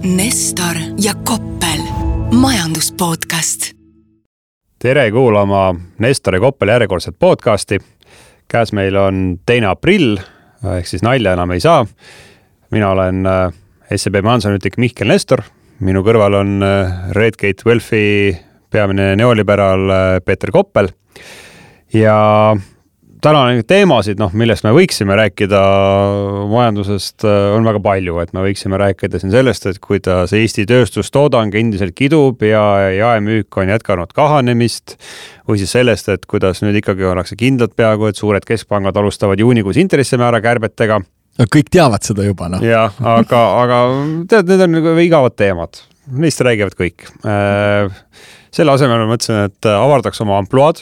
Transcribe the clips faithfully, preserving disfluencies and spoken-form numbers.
Nestor ja Koppel, majanduspodcast. Tere kuulama Nestor ja Koppel järjekordset podcasti. Käes meil on teine aprill, ehk siis nalja enam ei saa. Mina olen S E B majandusanalüütik Mihkel Nestor. Minu kõrval on Redgate Wealthi peamine neoliberaal Peeter Koppel. Ja täna on teemasid, noh, millest me võiksime rääkida majandusest, on väga palju, et me võiksime rääkida siin sellest, et kuidas Eesti tööstustoodang endiselt kidub ja jaemüük on jätkanud kahanemist, või siis sellest, et kuidas nüüd ikkagi ollakse kindlad peaaegu, et suured keskpangad alustavad juunikuus intressimäära kärbetega. Kõik teavad seda juba, noh. Ja, aga, aga tead, need on nagu igavad teemad. Neist räägivad kõik. Selle asemel ma mõtlesin, et avardaks oma ampluaad.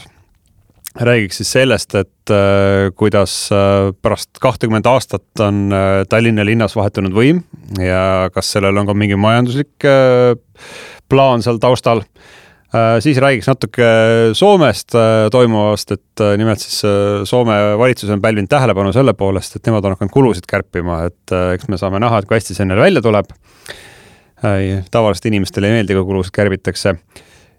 Räägiks siis sellest, et äh, kuidas äh, pärast kakskümmend aastat on äh, Tallinna linnas vahetunud võim ja kas sellel on ka mingi majanduslik äh, plaan seal taustal. Äh, siis räägiks natuke Soomest äh, toimuvast, et äh, nimelt siis äh, Soome valitsus on pälvinud tähelepanu selle poolest, et nemad on hakanud kulusid kärpima, et äh, eks me saame näha, et kui hästi see neil välja tuleb. Äh, tavaliselt inimestele ei meeldi, kui kulusid kärbitakse.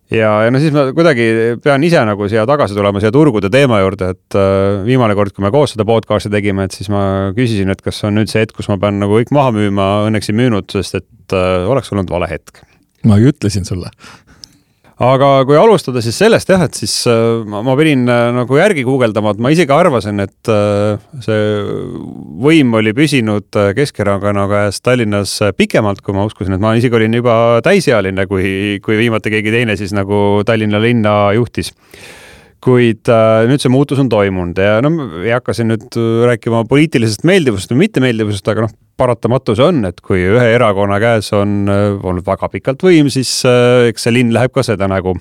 Ja, ja no siis ma kuidagi pean ise nagu siia tagasi tulema siia turgude teema juurde, et äh, viimane kord, kui me koos seda podcasti tegime, et siis ma küsisin, et kas on nüüd see hetk, kus ma pean nagu kõik maha müüma, õnneks ei müünud, sest et äh, oleks olnud vale hetk. Ma ju ütlesin sulle. Aga kui alustada siis sellest, jah, et siis äh, ma, ma pidin äh, nagu järgi guugeldama, et ma isegi arvasin, et äh, see võim oli püsinud Keskerakonna käes Tallinnas pikemalt, kui ma uskusin, et ma isegi olin juba täisealine, kui, kui viimati keegi teine siis nagu Tallinna linna juhtis. Kuid äh, nüüd see muutus on toimunud ja no, ei hakka siin nüüd rääkima poliitilisest meeldivusest või mittemeeldivusest, aga noh, paratamatus on, et kui ühe erakonna käes on olnud väga pikalt võim, siis äh, eks see linn läheb ka seda nagu.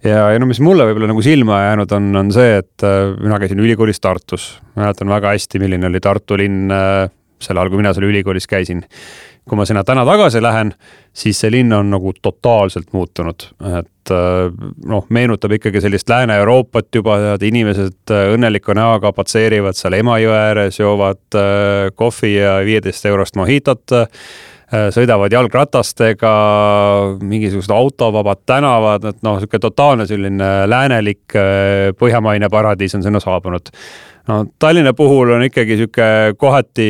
Ja, ja no mis mulle võib-olla nagu silma jäänud on, on see, et äh, mina käisin ülikoolis Tartus. Mäletan väga hästi, milline oli Tartu linn äh, sel ajal, kui mina seal ülikoolis käisin. Kui ma sinna täna tagasi lähen, siis see linn on nagu totaalselt muutunud. Et noh, meenutab ikkagi sellist Lääne-Euroopat juba, et inimesed õnneliku näoga patseerivad seal Emajõe ääres, joovad kohvi ja viieteist eurost mohitot, sõidavad jalgratastega, mingisugused autovabad tänavad, et noh, selline totaalne selline läänelik põhjamaine paradiis on sinna saabunud. No, Tallinna puhul on ikkagi siuke kohati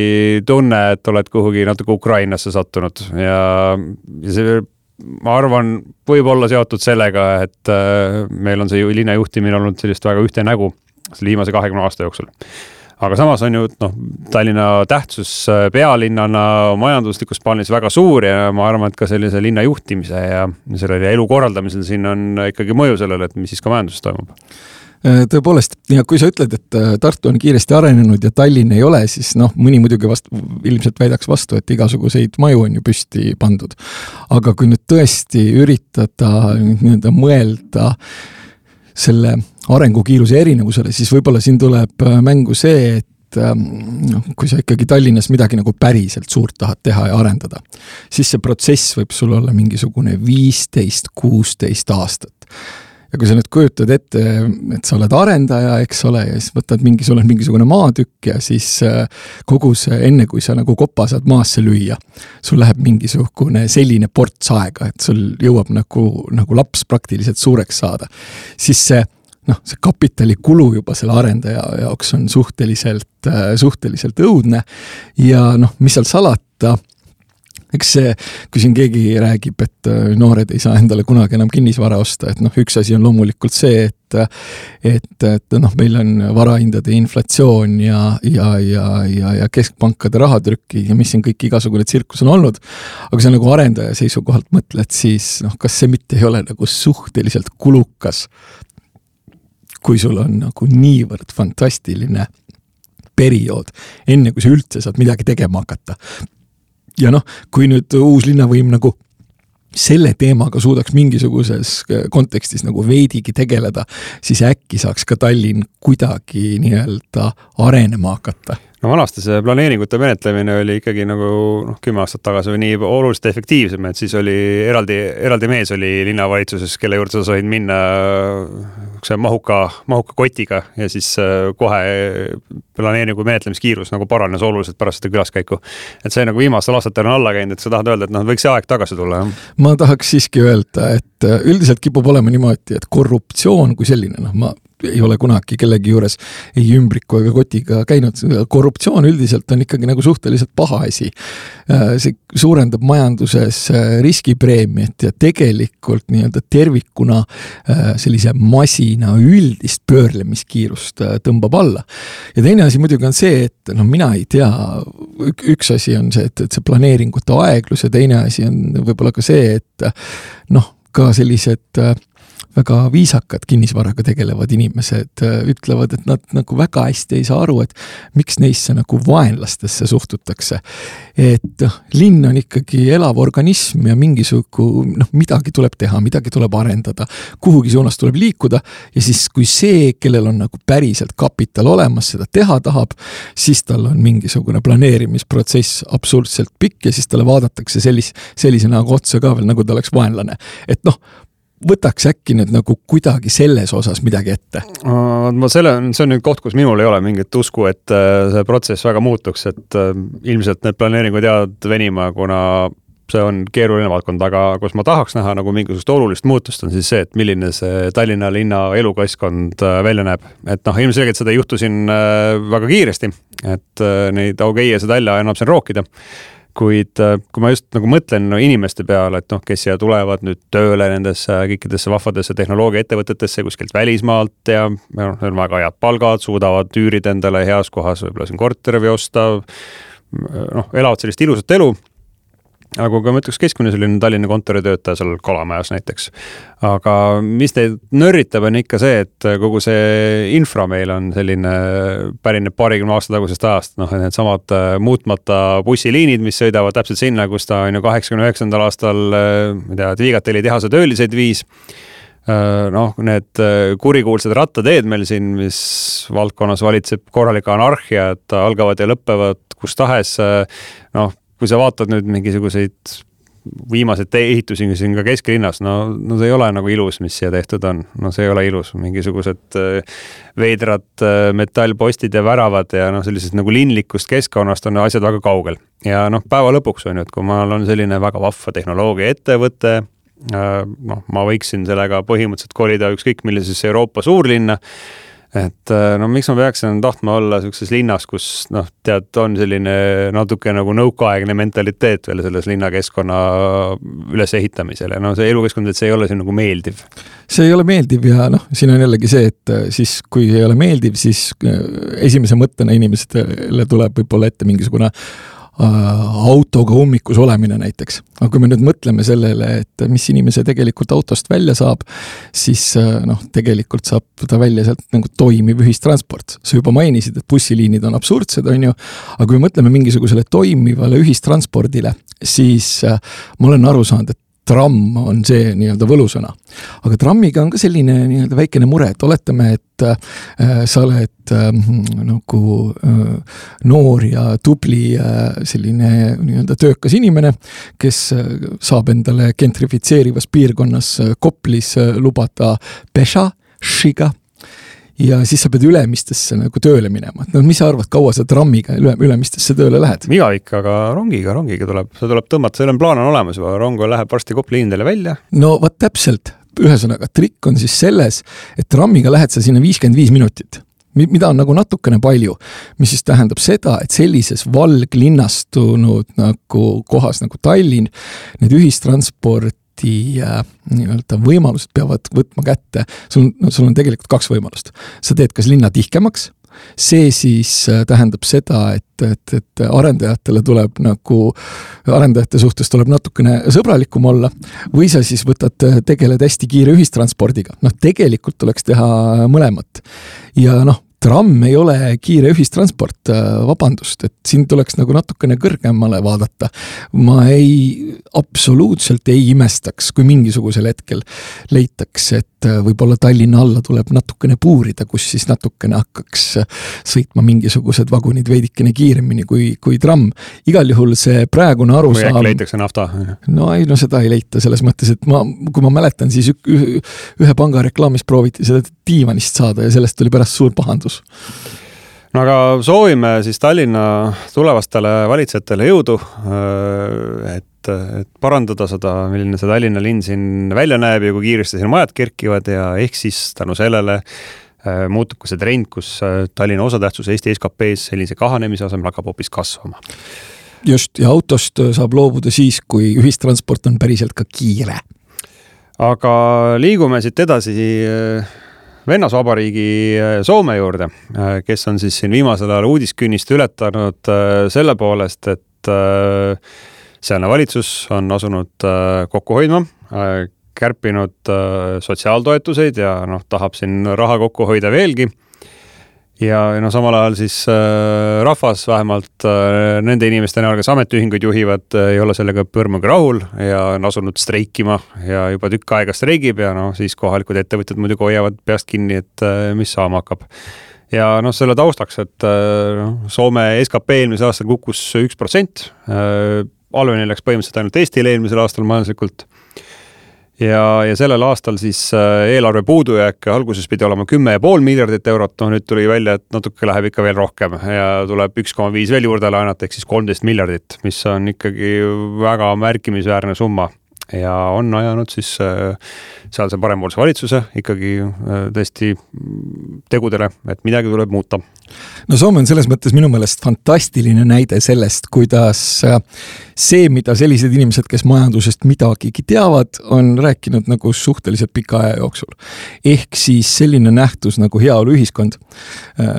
tunne, et oled kuhugi natuke Ukrainasse sattunud ja see, ma arvan, võib olla seotud sellega, et meil on see linna juhtimine olnud sellist väga ühte nägu viimase kahekümne aasta jooksul. Aga samas on ju no, Tallinna tähtsus pealinnana majanduslikus plaanis väga suur ja ma arvan, et ka sellise linna juhtimise ja sellele elu korraldamisel siin on ikkagi mõju sellele, et mis siis ka majanduses toimub. Tõepoolest, ja kui sa ütled, et Tartu on kiiresti arenenud ja Tallinn ei ole, siis noh, mõni muidugi vast, ilmselt väidaks vastu, et igasuguseid maju on ju püsti pandud. Aga kui nüüd tõesti üritada nii-öelda mõelda selle arengukiiruse erinevusele, siis võib-olla siin tuleb mängu see, et no, kui sa ikkagi Tallinnas midagi nagu päriselt suurt tahad teha ja arendada, siis see protsess võib sul olla mingisugune viisteist kuusteist aastat. Ja kui sa nüüd kujutad ette, et sa oled arendaja, eks ole, ja siis võtad mingi, sul on mingisugune maatükk ja siis kogu see, enne kui sa nagu kopa saad maasse lüüa, sul läheb mingisugune selline ports aega, et sul jõuab nagu, nagu laps praktiliselt suureks saada. Siis see, noh, see kapitali kulu juba selle arendaja jaoks on suhteliselt, suhteliselt õudne ja noh, mis seal salata, eks see, kui siin keegi räägib, et noored ei saa endale kunagi enam kinnisvara osta, et noh, üks asi on loomulikult see, et, et, et noh, meil on varahindade inflatsioon ja, ja, ja, ja, ja keskpankade rahatrükki ja mis siin kõik igasugune tsirkus on olnud, aga see nagu arendaja seisukohalt mõtled, siis noh, kas see mitte ei ole nagu suhteliselt kulukas, kui sul on nagu niivõrd fantastiline periood, enne kui sa üldse saad midagi tegema hakata. Ja noh, kui nüüd uus linnavõim nagu selle teemaga suudaks mingisuguses kontekstis nagu veidigi tegeleda, siis äkki saaks ka Tallinn kuidagi nii-öelda arenema hakata. No vanasti see planeeringute menetlemine oli ikkagi nagu noh, kümme aastat tagasi või nii oluliselt efektiivsem, et siis oli eraldi, eraldi mees oli linnavalitsuses, kelle juurde sa said minna see mahuka, mahuka kotiga ja siis kohe planeeringu menetlemiskiirus nagu paranes oluliselt pärast seda külaskäiku. Et see nagu viimastel aastatel on alla käinud, et sa tahad öelda, et noh, võiks see aeg tagasi tulla. Jah? Ma tahaks siiski öelda, et üldiselt kipub olema niimoodi, et korruptsioon kui selline, noh ma ei ole kunagi kellegi juures ei ümbriku ega kotiga käinud. Korruptsioon üldiselt on ikkagi nagu suhteliselt paha asi. See suurendab majanduses riskipreemiat ja tegelikult nii-öelda tervikuna sellise masina üldist pöörlemiskiirust tõmbab alla. Ja teine asi muidugi on see, et no mina ei tea, üks asi on see, et, et see planeeringute aeglus ja teine asi on võib-olla ka see, et noh, ka sellised väga viisakad kinnisvaraga tegelevad inimesed ütlevad, et nad nagu väga hästi ei saa aru, et miks neisse nagu vaenlastesse suhtutakse. Et linn on ikkagi elav organism ja mingisugu, noh, midagi tuleb teha, midagi tuleb arendada, kuhugi suunas tuleb liikuda ja siis kui see, kellel on nagu päriselt kapital olemas, seda teha tahab, siis tal on mingisugune planeerimisprotsess absurdselt pikk ja siis talle vaadatakse sellis, sellise nagu otsa ka veel, nagu ta oleks vaenlane. Et noh, võtaks äkki nüüd nagu kuidagi selles osas midagi ette? Ma selle, see on nüüd koht, kus minul ei ole mingit usku, et see protsess väga muutuks, et ilmselt need planeeringud jäävad venima, kuna see on keeruline valdkond, aga kus ma tahaks näha nagu mingisugust olulist muutust on siis see, et milline see Tallinna linna elukeskkond välja näeb. Et noh, ilmselgelt seda ei juhtu siin väga kiiresti, et neid augeiese talla annab siin rookida. Kuid kui ma just nagu mõtlen no, inimeste peale, et noh, kes siia tulevad nüüd tööle nendesse kõikidesse vahvadesse tehnoloogia ettevõtetesse kuskilt välismaalt ja noh, on väga head palgad, suudavad üürida endale heas kohas, võib-olla siin korteri või osta, noh, elavad sellist ilusat elu. Aga kui ma ütleks keskmine selline Tallinna kontoritöötaja seal Kalamajas näiteks. Aga mis teid nörritab on ikka see, et kogu see infra meil on selline pärineb paarikümne aasta tagusest ajast. Noh, need samad muutmata bussiliinid, mis sõidavad täpselt sinna, kus ta on ju kaheksakümne üheksandal aastal Viigateli tehase tööliseid viis. Noh, need kurikuulsad rattateed meil siin, mis valdkonnas valitseb korralika anarhia, et algavad ja lõppevad kus tahes, noh, kui sa vaatad nüüd mingisuguseid viimaseid ehitusi siin ka kesklinnas, no, no see ei ole nagu ilus, mis siia tehtud on. No see ei ole ilus. Mingisugused veidrad metallpostid ja väravad ja no sellisest nagu linlikust keskkonnast on asjad väga kaugel. Ja noh, päeva lõpuks on ju, et kui ma on selline väga vahva tehnoloogia ettevõte, noh, ma võiksin sellega põhimõtteliselt kolida ükskõik millisesse Euroopa suurlinna, et no miks ma peaksin tahtma olla sellises linnas, kus noh, tead, on selline natuke nagu nõukaaegne mentaliteet veel selles linnakeskkonna üles ehitamisel ja no see elukeskkond, et see ei ole siin nagu meeldiv. See ei ole meeldiv ja noh, siin on jällegi see, et siis kui ei ole meeldiv, siis esimese mõttena inimestele tuleb võib-olla ette mingisugune autoga ummikus olemine näiteks. Aga kui me nüüd mõtleme sellele, et mis inimese tegelikult autost välja saab, siis noh, tegelikult saab ta välja sealt nagu toimiv ühistransport. Sa juba mainisid, et bussiliinid on absurdsed, on ju, aga kui mõtleme mingisugusele toimivale ühistranspordile, siis ma olen aru saanud, et tramm on see nii-öelda võlusõna. Aga trammiga on ka selline nii-öelda väikene mure, et oletame, et äh, sa oled äh, nagu äh, noor ja tubli äh, selline nii-öelda töökas inimene, kes äh, saab endale gentrifitseerivas piirkonnas äh, Koplis äh, lubada pesha, šiga, ja siis sa pead Ülemistesse nagu tööle minema. No mis sa arvad, kaua sa trammiga üle, Ülemistesse tööle lähed? Mina ikka, aga rongiga, rongiga tuleb, see tuleb tõmmata, selle plaan on olemas, rong läheb varsti Kopli liinidele välja. No vaat täpselt, ühesõnaga trikk on siis selles, et trammiga lähed sa sinna viiskümmend viis minutit, mida on nagu natukene palju, mis siis tähendab seda, et sellises valglinnastunud nagu kohas nagu Tallinn, need ühistransport nii-öelda võimalused peavad võtma kätte. Sul, no, sul on tegelikult kaks võimalust. Sa teed kas linna tihkemaks, see siis tähendab seda, et, et, et arendajatele tuleb nagu, arendajate suhtes tuleb natukene sõbralikum olla, või sa siis võtad, tegeled hästi kiire ühistranspordiga. Noh, tegelikult tuleks teha mõlemat. Ja noh, tramm ei ole kiire ühistransport, vabandust, et siin tuleks nagu natukene kõrgemale vaadata. Ma ei, absoluutselt ei imestaks, kui mingisugusel hetkel leitaks, et võib-olla Tallinna alla tuleb natukene puurida, kus siis natukene hakkaks sõitma mingisugused vagunid veidikene kiiremini kui, kui tramm. Igal juhul see praegune arusaam... Või äkki leitakse nafta? No ei, no seda ei leita selles mõttes, et ma, kui ma mäletan, siis ühe panga reklaamis prooviti seda diivanist saada ja sellest tuli pärast suur pahandus. No aga soovime siis Tallinna tulevastele valitsejatele jõudu, et, et parandada seda, milline see Tallinna linn siin välja näeb ja kui kiiresti siin majad kerkivad ja ehk siis tänu sellele muutub ka see trend, kus Tallinna osatähtsus Eesti S K P-s sellise kahanemise asemel hakkab hoopis kasvama. Just, ja autost saab loobuda siis, kui ühistransport on päriselt ka kiire. Aga liigume siit edasi Vennasvabariigi Soome juurde, kes on siis siin viimasel ajal uudiskünnist ületanud selle poolest, et sealne valitsus on asunud kokku hoidma, kärpinud sotsiaaltoetuseid ja noh, tahab siin raha kokku hoida veelgi. Ja no samal ajal siis äh, rahvas vähemalt äh, nende inimeste näol, kes ametiühinguid juhivad, äh, ei ole sellega põrmuga rahul ja on asunud streikima ja juba tükk aega streigib ja no siis kohalikud ettevõtjad muidugi hoiavad peast kinni, et äh, mis saama hakkab. Ja noh, selle taustaks, et äh, Soome S K P eelmisel aastal kukkus üks protsent, äh, halveni läks põhimõtteliselt ainult Eestile eelmisel aastal majanduslikult. Ja, ja sellel aastal siis eelarve puudujääk alguses pidi olema kümme ja pool miljardit eurot, no nüüd tuli välja, et natuke läheb ikka veel rohkem ja tuleb üks koma viis veel juurde laenata, ehk siis kolmteist miljardit, mis on ikkagi väga märkimisväärne summa ja on ajanud siis sealse parempoolse valitsuse ikkagi tõesti tegudele, et midagi tuleb muuta. No Soome on selles mõttes minu meelest fantastiline näide sellest, kuidas see, mida sellised inimesed, kes majandusest midagigi teavad, on rääkinud nagu suhteliselt pika aja jooksul. Ehk siis selline nähtus nagu heaolu ühiskond,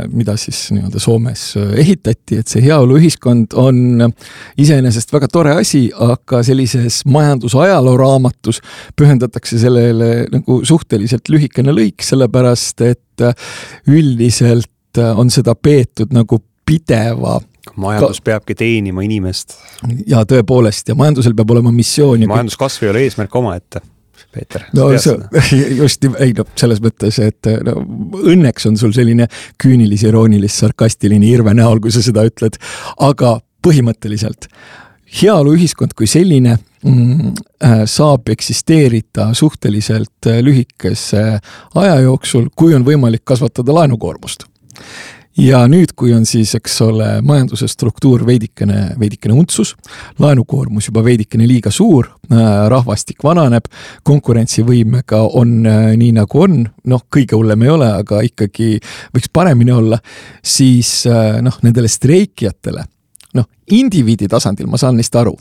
mida siis nii-öelda Soomes ehitati, et see heaolu ühiskond on iseenesest väga tore asi, aga sellises majandusajaloo raamatus pühendatakse sellele nagu suhteliselt lühikene lõik, sellepärast et üldiselt on seda peetud nagu pideva. Majandus peabki teenima inimest. Ja tõepoolest, ja majandusel peab olema missioon. Majanduskasv ei ole eesmärk oma ette, Peeter. No see, just, ei no, selles mõttes, et no, õnneks on sul selline küünilis, iroonilis, sarkastiline irve näol, kui sa seda ütled, aga põhimõtteliselt heaolu ühiskond kui selline mm, saab eksisteerida suhteliselt lühikese aja jooksul, kui on võimalik kasvatada laenukoormust. Ja nüüd, kui on siis, eks ole, majanduse struktuur veidikene, veidikene untsus, laenukoormus juba veidikene liiga suur, rahvastik vananeb, konkurentsivõimega on nii nagu on, noh, kõige hullem ei ole, aga ikkagi võiks paremini olla, siis noh, nendele streikijatele, noh, indiviidi tasandil ma saan neist aru,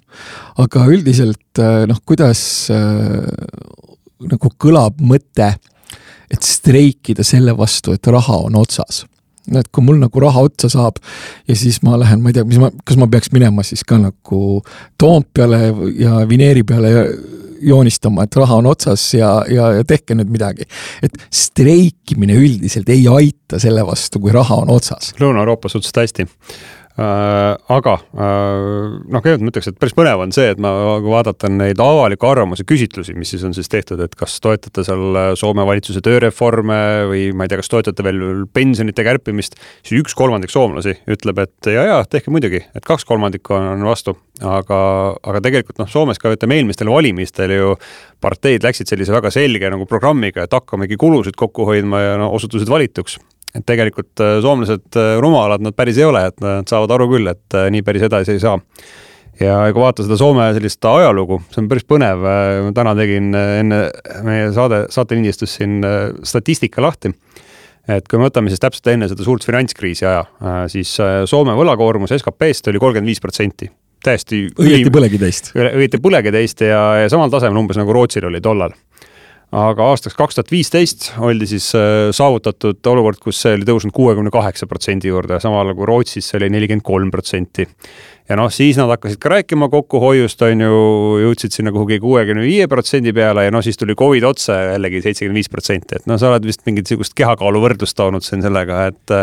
aga üldiselt, noh, kuidas nagu kõlab mõte, et streikida selle vastu, et raha on otsas. Et kui mul nagu raha otsa saab ja siis ma lähen, ma ei tea, mis ma, kas ma peaks minema siis ka nagu Toompeale ja Vineeri peale joonistama, et raha on otsas ja, ja, ja tehke nüüd midagi. Et streikimine üldiselt ei aita selle vastu, kui raha on otsas. Lõuna-Euroopas suhteliselt hästi. Äh, aga äh, noh, kõigepealt ma ütleks, et päris põnev on see, et ma vaadatan neid avaliku arvamuse küsitlusi, mis siis on siis tehtud, et kas toetate seal Soome valitsuse tööreforme või ma ei tea, kas toetate veel pensionite kärpimist, siis üks kolmandik soomlasi ütleb, et ja, ja, tehke muidugi, et kaks kolmandikku on vastu, aga, aga tegelikult noh, Soomes ka ütleme eelmistel valimistel ju parteid läksid sellise väga selge nagu programmiga, et hakkamegi kulusid kokku hoidma ja no, osutusid valituks. Et tegelikult soomlased rumalad nad päris ei ole, et nad saavad aru küll, et nii päris edasi ei saa. Ja kui vaata seda Soome sellist ajalugu, see on päris põnev. Täna tegin enne meie saade, saatenindistus siin statistika lahti. Et kui me võtame siis täpselt enne seda suurt finantskriisi aja, siis Soome võlakoormus S K P-st oli kolmkümmend viis protsenti. Täiesti õieti põlegi teist. Õieti põlegi teist ja, ja samal tasemel umbes nagu Rootsil oli tollal. aga aastaks kaks tuhat viisteist oldi siis saavutatud olukord, kus see oli tõusnud kuuekümne kaheksa protsendi juurde, samal kui Rootsis see oli nelikümmend kolm protsenti. Ja noh, siis nad hakkasid ka rääkima kokkuhoiust, on ju, jõudsid sinna kuhugi kuuekümne viie protsendi peale ja noh, siis tuli Covid otse jällegi seitsekümmend viis protsenti, et noh, sa oled vist mingit sihukest kehakaalu võrdlust toonud siin sellega, et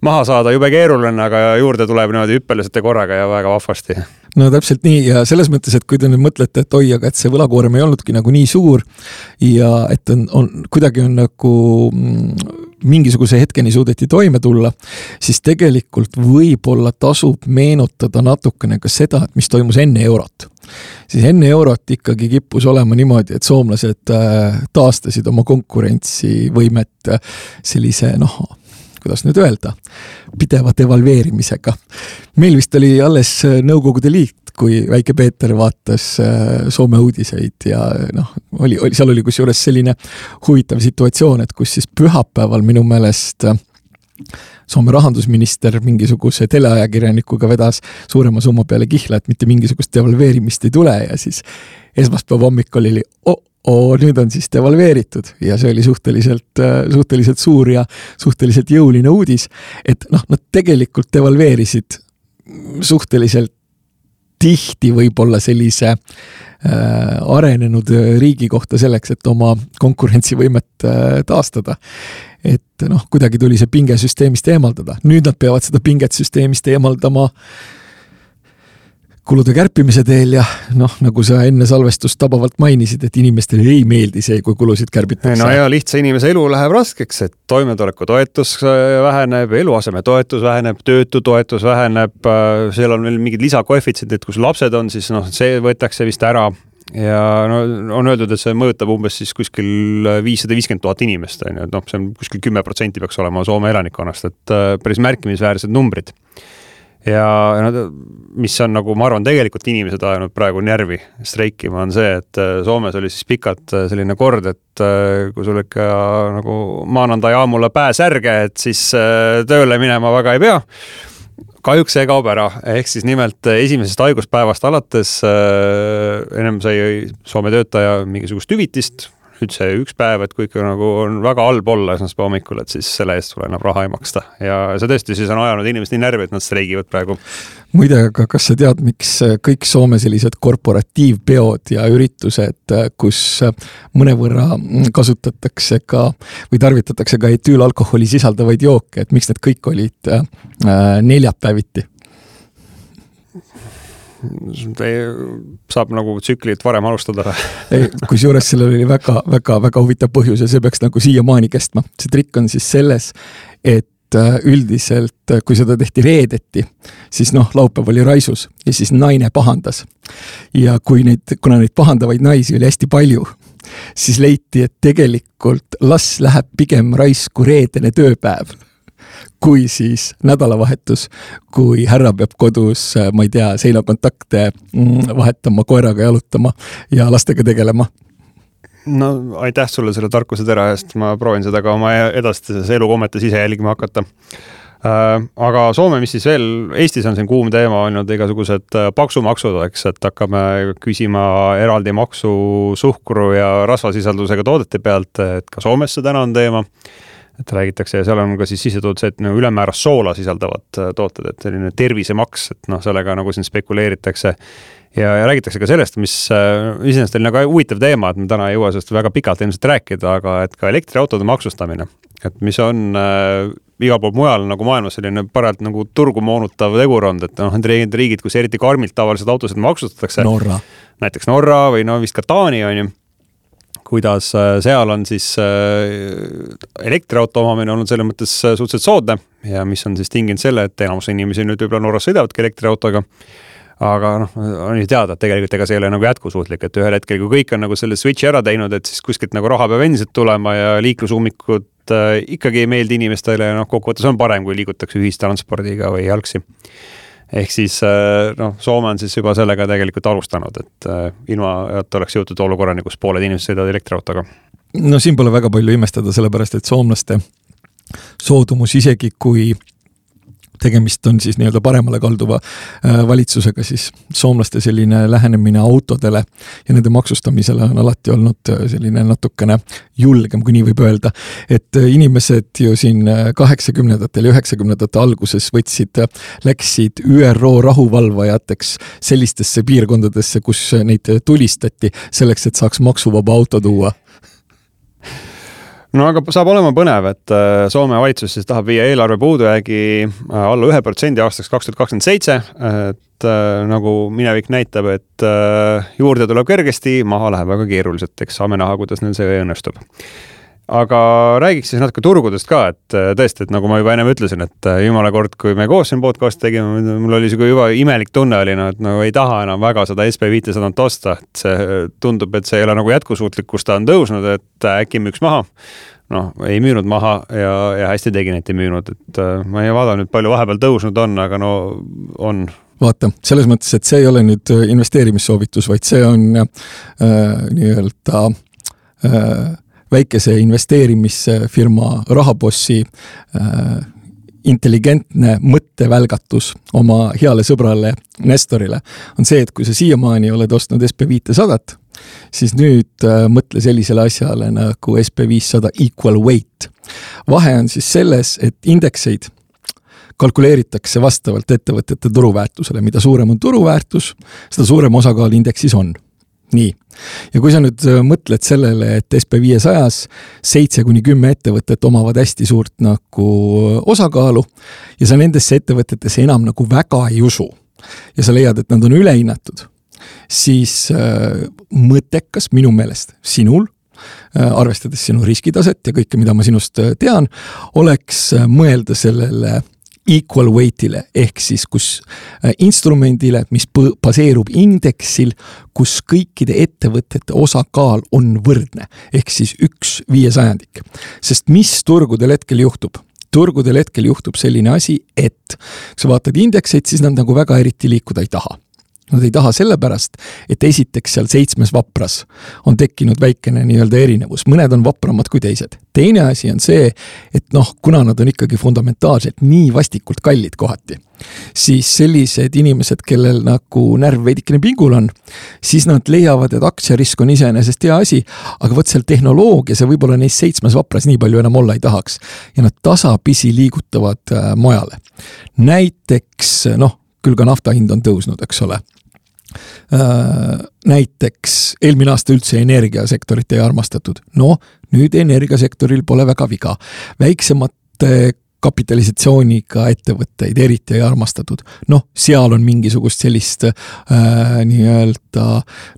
maha saada jube keeruline, aga juurde tuleb niimoodi hüppeliselt ja korraga ja väga vahvasti. No täpselt nii ja selles mõttes, et kui te nüüd mõtlete, et oi, aga et see võlakoorem ei olnudki nagu nii suur ja et on, on kuidagi on nagu mingisuguse hetkeni suudeti toime tulla, siis tegelikult võib-olla tasub meenutada natukene ka seda, et mis toimus enne eurot. Siis enne eurot ikkagi kippus olema niimoodi, et soomlased taastasid oma konkurentsivõimet sellise, noh, kuidas nüüd öelda, pideva devalveerimisega. Meil vist oli alles Nõukogude Liit, kui väike Peeter vaatas Soome uudiseid ja noh, oli, oli, seal oli kusjuures selline huvitav situatsioon, et kus siis pühapäeval minu meelest Soome rahandusminister mingisuguse teleajakirjanikuga vedas suurema summa peale kihla, et mitte mingisugust devalveerimist ei tule ja siis esmaspäeva hommikul oli oh, Oo, nüüd on siis devalveeritud ja see oli suhteliselt, suhteliselt suur ja suhteliselt jõuline uudis, et noh, nad tegelikult devalveerisid suhteliselt tihti võib-olla sellise äh, arenenud riigi kohta selleks, et oma konkurentsivõimet äh, taastada. Et noh, kuidagi tuli see pinge süsteemist eemaldada. Nüüd nad peavad seda pinget süsteemist eemaldama kulude kärpimise teel ja noh, nagu sa enne salvestust tabavalt mainisid, et inimestele ei meeldi see, kui kulusid kärbitakse. No ja lihtsa inimese elu läheb raskeks, et toimetuleku toetus väheneb, eluaseme toetus väheneb, töötu toetus väheneb, seal on veel mingid lisakoefitsendid, kus lapsed on, siis noh, see võetakse vist ära ja no, on öeldud, et see mõjutab umbes siis kuskil viissada viiskümmend tuhat inimest, on ju, et noh, see on kuskil kümme protsenti peaks olema Soome elanikkonnast, et päris märkimisväärsed numbrid. Ja mis on nagu, ma arvan, tegelikult inimesed ajanud praegu närvi streikima on see, et Soomes oli siis pikalt selline kord, et kui sul ikka nagu maananda jaamulla pääsärge, et siis tööle minema väga ei pea. Kahjuks see kaob ära, ehk siis nimelt esimesest haiguspäevast alates ennem sai Soome töötaja mingisugust hüvitist, nüüd see üks päev, et kui ikka nagu on väga halb olla esmaspäeva hommikul, et siis selle eest sulle enam raha ei maksta. Ja see tõesti siis on ajanud inimesed nii närvi, et nad streigivad praegu. Muide, aga kas sa tead, miks kõik Soome sellised korporatiivpeod ja üritused, kus mõnevõrra kasutatakse ka või tarvitatakse ka etüülalkoholi sisaldavaid jooke, et miks need kõik olid neljapäeviti? Saab nagu tsüklit varem alustada. Ei, kus juures sellel oli väga, väga, väga huvitav põhjus ja see peaks nagu siia maani kestma. See trikk on siis selles, et üldiselt, kui seda tehti reedeti, siis noh, laupäev oli raisus ja siis naine pahandas. Ja kui neid, kuna neid pahandavaid naisi oli hästi palju, siis leiti, et tegelikult las läheb pigem raisku reedene tööpäev, kui siis nädalavahetus, kui härra peab kodus, ma ei tea, seinakontakte vahetama, koeraga jalutama ja lastega tegelema. No aitäh sulle selle tarkuse tera eest, ma proovin seda ka oma edastises elukommetes ise jälgima hakata. Aga Soome, mis siis veel, Eestis on siin kuum teema olnud igasugused paksumaksud, eks, et hakkame küsima eraldi maksu suhkru ja rasvasisaldusega toodete pealt, et ka Soomes see täna on teema. Et räägitakse ja seal on ka siis sisetood see, et no, ülemääras soola sisaldavad tooted, et selline tervisemaks, et noh, sellega nagu siin spekuleeritakse ja, ja räägitakse ka sellest, mis iseenesest oli nagu huvitav teema, et me täna ei jõua sellest väga pikalt ilmselt rääkida, aga et ka elektriautode maksustamine, et mis on äh, igal pool mujal nagu maailmas selline paralt nagu turgu moonutav tegurond, et noh, need riigid, kus eriti karmilt tavaliselt autosid maksustatakse, Norra. Näiteks Norra või no vist ka Taani on ju, kuidas seal on siis elektriauto omamine olnud selle mõttes suhteliselt soodne ja mis on siis tinginud selle, et enamus inimesi nüüd võib-olla Norras sõidavadki elektriautoga. Aga noh, on ju teada, et tegelikult ega see ei ole nagu jätkusuutlik, et ühel hetkel, kui kõik on nagu selle switchi ära teinud, et siis kuskilt nagu raha peab endiselt tulema ja liiklusummikud ikkagi ei meeldi inimestele ja noh, kokkuvõttes on parem, kui liigutakse ühistranspordiga või jalgsi. Ehk siis no, Soome on siis juba sellega tegelikult alustanud, et ilma, et oleks jõutud olukorrani, kus pooled inimesed sõidavad elektriautoga. No siin pole väga palju imestada, sellepärast, et soomlaste soodumus isegi kui tegemist on siis nii-öelda paremale kalduva valitsusega, siis soomlaste selline lähenemine autodele ja nende maksustamisele on alati olnud selline natukene julgem, kui nii võib öelda. Et inimesed ju siin kaheksakümnendatel ja üheksakümnendate alguses võtsid, läksid Ü R O rahuvalvajateks sellistesse piirkondadesse, kus neid tulistati selleks, et saaks maksuvaba auto tuua. No aga saab olema põnev, et Soome valitsus siis tahab viia eelarve puudujäägi alla ühe protsendi aastaks kaks tuhat kakskümmend seitse, et nagu minevik näitab, et juurde tuleb kergesti, maha läheb väga keeruliselt, eks saame näha, kuidas neil see õnnestub. Aga räägiks siis natuke turgudest ka, et tõesti, et nagu ma juba ennem ütlesin, et jumala kord, kui me koos siin podcast tegime, mul oli see juba imelik tunne oli, no, et nagu ei taha enam väga seda S P viissada osta, et see tundub, et see ei ole nagu jätkusuutlik, kus ta on tõusnud, et äkki müüks maha. Noh, ei müünud maha ja, ja hästi tegin, et ei müünud, et ma ei vaada nüüd palju vahepeal tõusnud on, aga no on. Vaata, selles mõttes, et see ei ole nüüd investeerimissoovitus, vaid see on äh, nii-öelda äh, väikese investeerimisfirma rahapossi äh, intelligentne mõttevälgatus oma heale sõbrale Nestorile on see, et kui sa siiamaani oled ostnud S P viissada, siis nüüd äh, mõtle sellisele asjale nagu S P viissada equal weight. Vahe on siis selles, et indekseid kalkuleeritakse vastavalt ettevõtete turuväärtusele. Mida suurem on turuväärtus, seda suurem osakaal indeksis on. Nii. Ja kui sa nüüd mõtled sellele, et S P viiesajas seitse kuni kümme ettevõtet omavad hästi suurt nagu osakaalu ja sa nendesse ettevõtetesse enam nagu väga ei usu ja sa leiad, et nad on ülehinnatud, siis äh, mõttekas minu meelest sinul, äh, arvestades sinu riskitaset ja kõike, mida ma sinust tean, oleks mõelda sellele equal weightile, ehk siis kus instrumendile, mis baseerub indeksil, kus kõikide ettevõtete osakaal on võrdne, ehk siis üks viiesajandik. Sest mis turgudel hetkel juhtub? Turgudel hetkel juhtub selline asi, et kui sa vaatad indekseid, siis nad nagu väga eriti liikuda ei taha. Nad ei taha sellepärast, et esiteks seal seitsmes vapras on tekkinud väikene nii-öelda erinevus. Mõned on vapramad kui teised. Teine asi on see, et noh, kuna nad on ikkagi fundamentaalselt nii vastikult kallid kohati, siis sellised inimesed, kellel nagu närv veidikene pingul on, siis nad leiavad, et aktsiarisk on iseenesest hea asi, aga võt seal tehnoloogias ja võib-olla neis seitsmes vapras nii palju enam olla ei tahaks. Ja nad tasapisi liigutavad äh, mojale. Näiteks, noh, küll ka nafta hind on tõusnud, eks ole. Näiteks eelmine aasta üldse energiasektorit ei armastatud. No, nüüd energiasektoril pole väga viga. Väiksemate kapitalisatsiooniga ettevõtteid eriti ei armastatud. Noh, seal on mingisugust sellist äh, nii-öelda,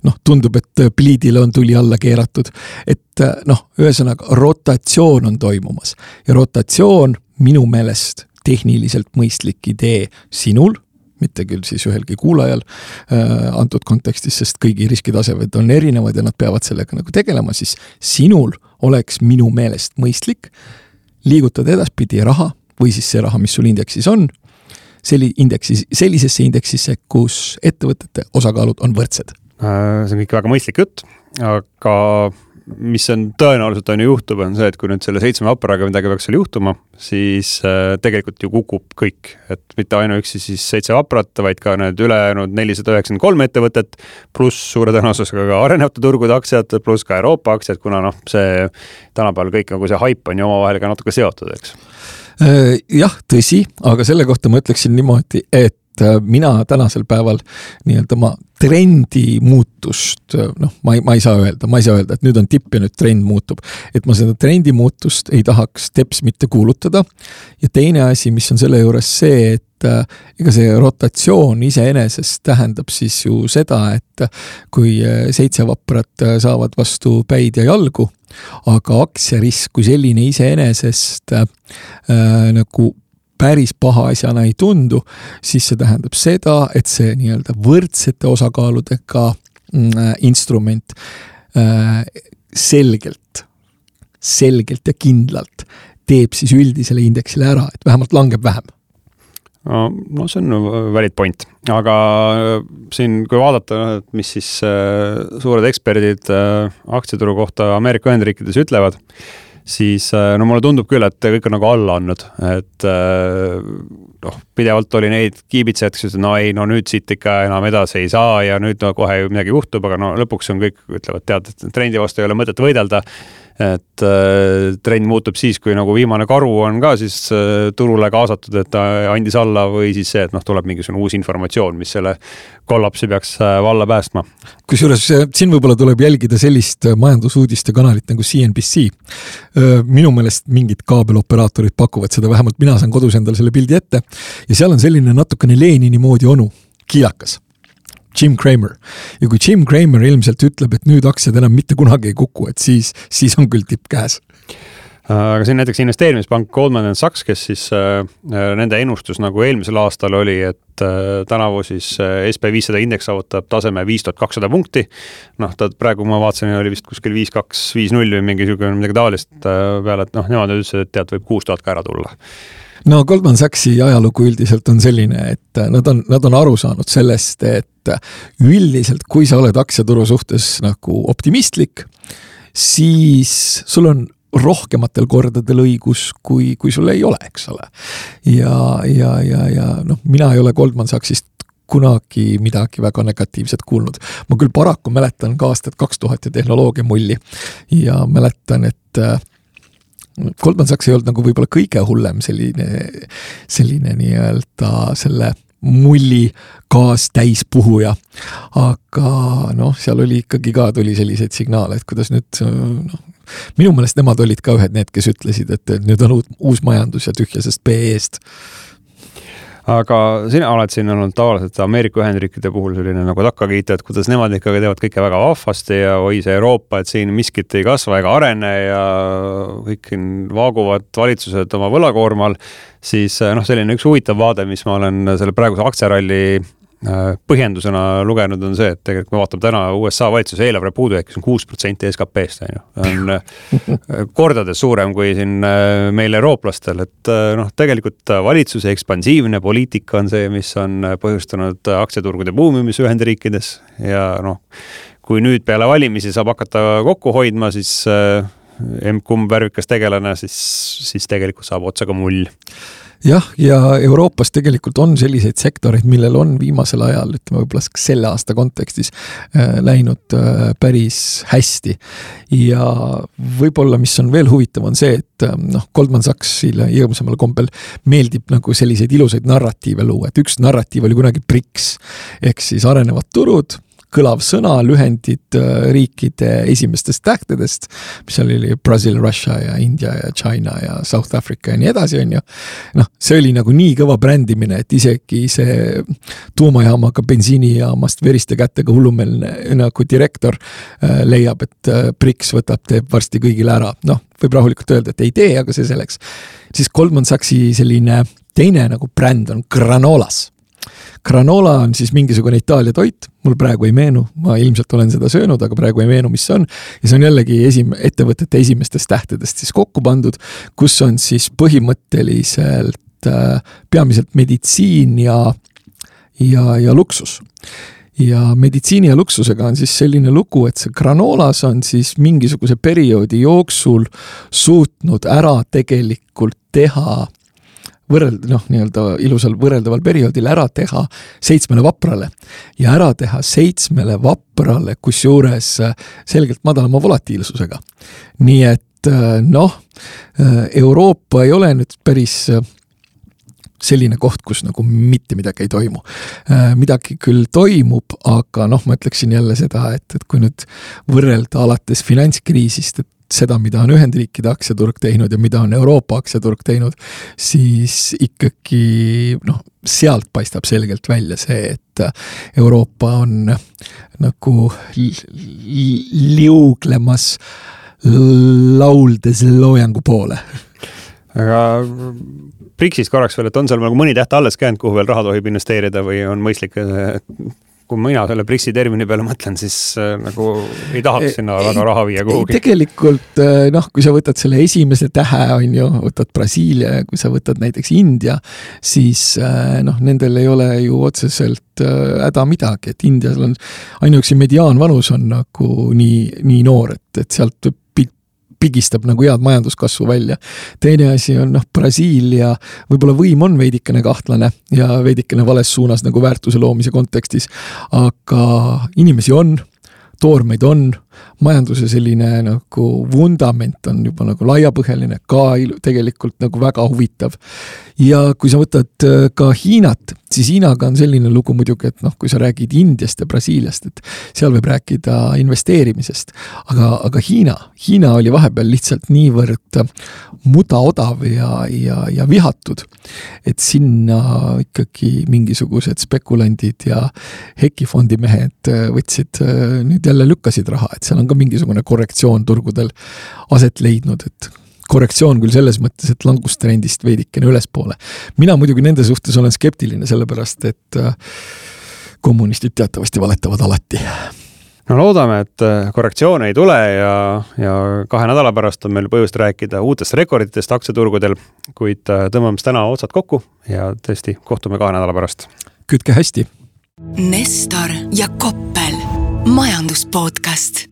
noh, tundub, et pliidile on tuli alla keeratud. Et noh, ühesõnaga rotatsioon on toimumas. Ja rotatsioon minu meelest tehniliselt mõistlik idee sinul, mitte küll siis ühelgi kuulajal äh, antud kontekstis, sest kõigi riskitasemed on erinevad ja nad peavad sellega nagu tegelema, siis sinul oleks minu meelest mõistlik liigutada edaspidi raha või siis see raha, mis sul indeksis on, selli indeksis, sellisesse indeksisse, kus ettevõtete osakaalud on võrdsed. Äh, see on kõik väga mõistlik jutt, aga mis on tõenäoliselt on ju juhtub, on see, et kui nüüd selle seitsme vaparaga midagi peaks seal juhtuma, siis äh, tegelikult ju kukub kõik, et mitte ainuüksi siis seitse vaprat, vaid ka need ülejäänud nelisada üheksakümmend kolm ettevõtet, pluss suure tõenäosusega ka arenevate turgude aktsiad, pluss ka Euroopa aktsiad, kuna noh, see tänapäeval kõik nagu see haip on ju omavahel ka natuke seotud, eks? Äh, jah, tõsi, aga selle kohta ma ütleksin niimoodi, et mina tänasel päeval nii-öelda ma trendi muutust, noh, ma ei, ma ei saa öelda, ma ei saa öelda, et nüüd on tipp ja nüüd trend muutub. Et ma seda trendi muutust ei tahaks teps mitte kuulutada. Ja teine asi, mis on selle juures see, et ega see rotatsioon iseenesest tähendab siis ju seda, et kui seitse vaprat saavad vastu päid ja jalgu, aga aktsiarisk kui selline iseenesest äh, nagu päris paha asjana ei tundu, siis see tähendab seda, et see nii-öelda võrdsete osakaaludega mm, instrument äh, selgelt, selgelt ja kindlalt teeb siis üldisele indeksile ära, et vähemalt langeb vähem. No, no see on valid point, aga siin kui vaadata, mis siis äh, suured eksperdid äh, aktsiaturu kohta Ameerika Ühendriikides ütlevad, siis no mulle tundub küll, et kõik on nagu alla andnud, et noh, pidevalt oli neid kiibitsejad, kes ütlesid, no ei, no nüüd siit ikka enam edasi ei saa ja nüüd no, kohe midagi juhtub, aga no lõpuks on kõik, ütlevad, tead, et trendi vastu ei ole mõtet võidelda, et äh, trend muutub siis, kui nagu viimane karu on ka siis äh, turule kaasatud, et ta andis alla või siis see, et noh, tuleb mingisugune uus informatsioon, mis selle kollapsi peaks äh, valla päästma. Kusjuures siin võib-olla tuleb jälgida sellist majandusuudiste kanalit nagu C N B C. Minu meelest mingid kaabeloperaatorid pakuvad seda, vähemalt mina saan kodus endale selle pildi ette ja seal on selline natukene Lenini moodi onu, kiilakas. Jim Cramer. Ja kui Jim Cramer ilmselt ütleb, et nüüd aktsiad enam mitte kunagi ei kuku, et siis, siis on küll tipp käes. Aga siin näiteks investeerimispank Goldman and Sachs, kes siis äh, nende ennustus nagu eelmisel aastal oli, et äh, tänavu siis äh, S P viissada indeks saavutab taseme viis tuhat kakssada punkti. Noh, ta praegu ma vaatasin, oli vist kuskil viis kaks viis null või mingi midagi taolist äh, peale, et noh, nemad ütlesid, et tead, võib kuus tuhat ka ära tulla. No Goldman Sachsi ajalugu üldiselt on selline, et nad on, nad on aru saanud sellest, et üldiselt, kui sa oled aktsiaturu suhtes nagu optimistlik, siis sul on rohkematel kordadel õigus, kui, kui sul ei ole, eks ole. Ja, ja, ja, ja noh, mina ei ole Goldman Sachsist kunagi midagi väga negatiivset kuulnud. Ma küll paraku mäletan ka aastat kaks tuhat ja tehnoloogia mulli ja mäletan, et Goldman Sachs ei olnud nagu võib-olla kõige hullem selline, selline nii-öelda selle mulli gaas täis puhuja, aga noh, seal oli ikkagi ka tuli selliseid signaale, et kuidas nüüd noh, minu meelest nemad olid ka ühed need, kes ütlesid, et nüüd on uus majandus ja tühjasest P E-st. Aga sina oled siin olnud tavaliselt Ameerika Ühendriikide puhul selline nagu takkakiita, et kuidas nemad ikkagi teevad kõike väga vahvasti ja oi see Euroopa, et siin miskit ei kasva ega arene ja kõik vaaguvad valitsused oma võlakoormal, siis noh, selline üks huvitav vaade, mis ma olen selle praeguse aktsiaralli põhjendusena lugenud on see, et tegelikult me vaatame täna U S A valitsuse eelarve puudujääk, kes on kuus protsenti S K P-st, on kordades suurem kui siin meil eurooplastel, et noh, tegelikult valitsuse ekspansiivne poliitika on see, mis on põhjustanud aktsiaturgude buumimis Ühendriikides ja noh, kui nüüd peale valimisi saab hakata kokku hoidma, siis kumb värvikas tegelane, siis, siis tegelikult saab otsaga mull. Jah, ja Euroopas tegelikult on selliseid sektoreid, millel on viimasel ajal, ütleme võib-olla selle aasta kontekstis äh, läinud äh, päris hästi. Ja võib-olla, mis on veel huvitav, on see, et äh, noh, Goldman Sachsile jõudsamal kombel meeldib nagu selliseid ilusaid narratiive luua, et üks narratiiv oli kunagi B R I C S, ehk siis arenevad turud, kõlav sõna, lühendid riikide esimestest tähtedest, mis oli Brazil, Russia ja India ja China ja South Africa ja nii edasi on ju. Noh, see oli nagu nii kõva brändimine, et isegi see tuumajaamaga bensiinijaamast veriste kättega hullumeelne nagu direktor leiab, et B R I C S võtab, teeb varsti kõigile ära. Noh, võib rahulikult öelda, et ei tee, aga see selleks. Siis Goldman Sachsi selline teine nagu bränd on Granolas. Granola on siis mingisugune Itaalia toit, mul praegu ei meenu, ma ilmselt olen seda söönud, aga praegu ei meenu, mis see on. Ja see on jällegi esim- ettevõtete esimestest tähtedest siis kokku pandud, kus on siis põhimõtteliselt äh, peamiselt meditsiin ja, ja, ja luksus. Ja meditsiini ja luksusega on siis selline lugu, et see Granolas on siis mingisuguse perioodi jooksul suutnud ära tegelikult teha võrreld, noh, nii-öelda ilusal võrreldaval perioodil ära teha seitsmele vaprale ja ära teha seitsmele vaprale, kus juures selgelt madalama volatiilsusega. Nii et noh, Euroopa ei ole nüüd päris selline koht, kus nagu mitte midagi ei toimu. Midagi küll toimub, aga noh, ma ütleksin jälle seda, et, et kui nüüd võrrelda alates finantskriisist, et seda, mida on Ühendriikide aktsiaturg teinud ja mida on Euroopa aktsiaturg teinud, siis ikkagi noh, sealt paistab selgelt välja see, et Euroopa on nagu liuglemas lauldes loojangu poole. Aga B R I C S korraks veel, et on seal nagu mõni täht alles käinud, kuhu veel raha tohib investeerida või on mõistlik, kui mina selle B R I C S-i termini peale mõtlen, siis nagu ei tahaks sinna väga raha viia kuhugi. Tegelikult, noh, kui sa võtad selle esimese tähe, on ju, võtad Brasiilia ja kui sa võtad näiteks India, siis noh, nendel ei ole ju otseselt häda midagi, et Indias on ainuüksi mediaanvanus on nagu nii, nii noor, et, et sealt pigistab nagu head majanduskasvu välja. Teine asi on noh, Brasiilia, võib-olla võim on veidikene kahtlane ja veidikene vales suunas nagu väärtuse loomise kontekstis, aga inimesi on, toormeid on, majanduse selline nagu vundament on juba nagu laiapõhjaline, ka tegelikult nagu väga huvitav. Ja kui sa võtad ka Hiinat, siis Hiinaga on selline lugu muidugi, et noh, kui sa räägid Indiast ja Brasiiliast, et seal võib rääkida investeerimisest, aga, aga Hiina, Hiina oli vahepeal lihtsalt niivõrd mudaodav ja, ja, ja vihatud, et sinna ikkagi mingisugused spekulandid ja hekifondimehed võtsid, nüüd jälle lükkasid raha, et seal on ka mingisugune korrektsioon turgudel aset leidnud, et korrektsioon küll selles mõttes, et langustrendist veidikene ülespoole. Mina muidugi nende suhtes olen skeptiline, sellepärast, et kommunistid teatavasti valetavad alati. No loodame, et korrektsioon ei tule ja, ja kahe nädala pärast on meil põhjust rääkida uutest rekorditest aktsiaturgudel, kuid tõmbame täna otsad kokku ja tõesti kohtume kahe nädala pärast. Kütke hästi! Nestor ja Koppel, majanduspodcast.